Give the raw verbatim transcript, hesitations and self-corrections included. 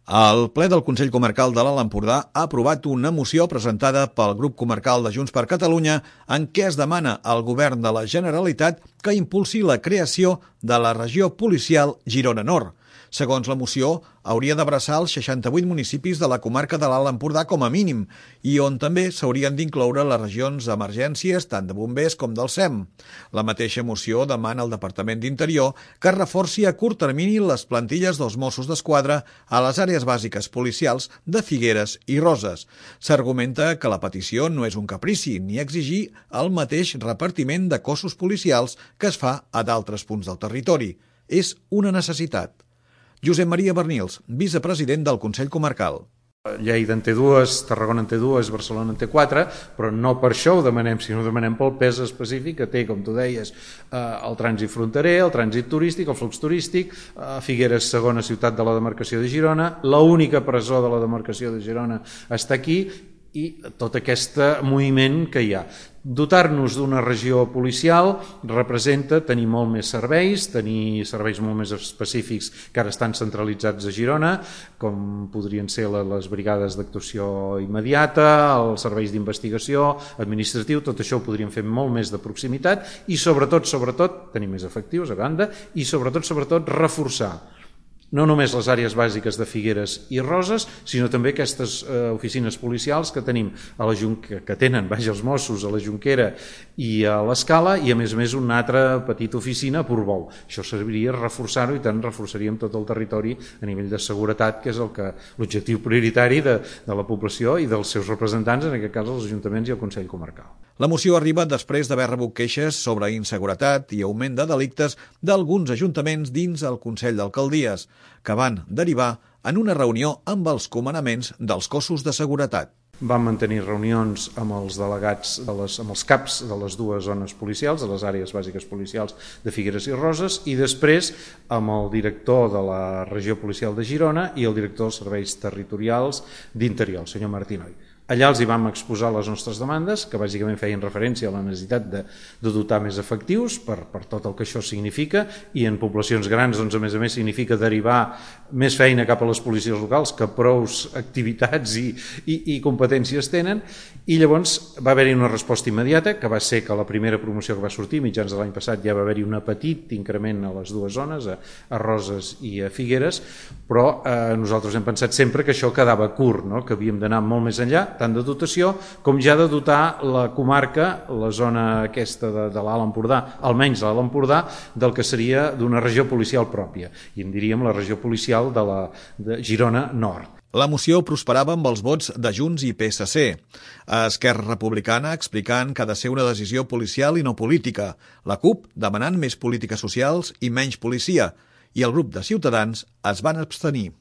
El ple del Consell Comarcal de l'Alt Empordà ha aprovat una moció presentada pel grup comarcal de Junts per Catalunya en què es demana al govern de la Generalitat que impulsi la creació de la regió policial Girona Nord. Segons la moció, hauria d'abraçar els seixanta-vuit municipis de la comarca de l'Alt Empordà com a mínim i on també s'haurien d'incloure les regions d'emergències tant de bombers com del S E M. La mateixa moció demana al Departament d'Interior que es reforci a curt termini les plantilles dels Mossos d'Esquadra a les àrees bàsiques policials de Figueres i Roses. S'argumenta que la petició no és un caprici ni exigir el mateix repartiment de cossos policials que es fa a d'altres punts del territori. És una necessitat. Josep Maria Bernils, vicepresident del Consell Comarcal. Lleida en té dues, Tarragona en té dues, Barcelona en té quatre, però no per això ho demanem, sinó ho demanem pel pes específic que té, com tu deies, el trànsit fronterer, el trànsit turístic, el flux turístic, Figueres, segona ciutat de la demarcació de Girona, l'única presó de la demarcació de Girona està aquí, i tot aquest moviment que hi ha. Dotar-nos d'una regió policial representa tenir molt més serveis, tenir serveis molt més específics que ara estan centralitzats a Girona, com podrien ser les brigades d'actuació immediata, els serveis d'investigació, administratiu, tot això ho podríem fer molt més de proximitat i sobretot, sobretot, tenir més efectius a banda i sobretot, sobretot, reforçar no només les àrees bàsiques de Figueres i Roses, sinó també aquestes eh, oficines policials que tenim a la Junquera, que tenen, vaja, els Mossos a la Junquera i a l'Escala, i a més a més una altra petita oficina a Portbou. Això serviria reforçar-ho i tant reforçaríem tot el territori a nivell de seguretat, que és el que l'objectiu prioritari de, de la població i dels seus representants, en aquest cas els ajuntaments i el Consell Comarcal. La moció arriba després d'haver rebut queixes sobre inseguretat i augment de delictes d'alguns ajuntaments dins el Consell d'Alcaldies, que van derivar en una reunió amb els comandaments dels cossos de seguretat. Vam mantenir reunions amb els delegats, de les, amb els caps de les dues zones policials, de les àrees bàsiques policials de Figueres i Roses, i després amb el director de la regió policial de Girona i el director dels serveis territorials d'Interior, el senyor Martinoy. Allà els hi vam exposar les nostres demandes, que bàsicament feien referència a la necessitat de, de dotar més efectius per, per tot el que això significa, i en poblacions grans, doncs, a més a més, significa derivar més feina cap a les policies locals, que prous activitats i, i, i competències tenen, i llavors va haver-hi una resposta immediata, que va ser que la primera promoció que va sortir, mitjans de l'any passat, ja va haver-hi un petit increment a les dues zones, a, a Roses i a Figueres, però eh, nosaltres hem pensat sempre que això quedava curt, no? Que havíem d'anar molt més enllà, tant de dotació com ja de dotar la comarca, la zona aquesta de, de l'Alt Empordà, almenys l'Alt Empordà, del que seria d'una regió policial pròpia, i en diríem la regió policial de la de Girona Nord. La moció prosperava amb els vots de Junts i P S C. A Esquerra Republicana explicant que ha de ser una decisió policial i no política. La CUP demanant més polítiques socials i menys policia. I el grup de Ciutadans es van abstenir.